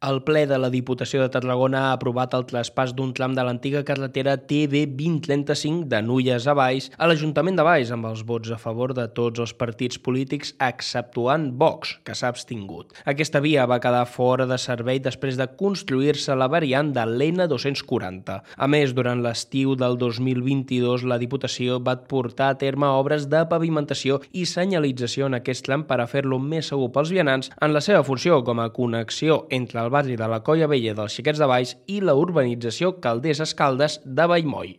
El ple de la Diputació de Tarragona ha aprovat el traspàs d'un tram de l'antiga carretera TB 2035 de Nulles a Valls a l'Ajuntament de Valls amb els vots a favor de tots els partits polítics exceptuant Vox, que s'ha abstingut. Aquesta via va quedar fora de servei després de construir-se la variant de l'N240. A més, durant l'estiu del 2022, la Diputació va portar a terme obres de pavimentació i senyalització en aquest tram per a fer-lo més segur pels vianants en la seva funció com a connexió entre el barri de la Colla Vella dels Xiquets de Valls i la urbanització Calders Escaldes de Vallmoll.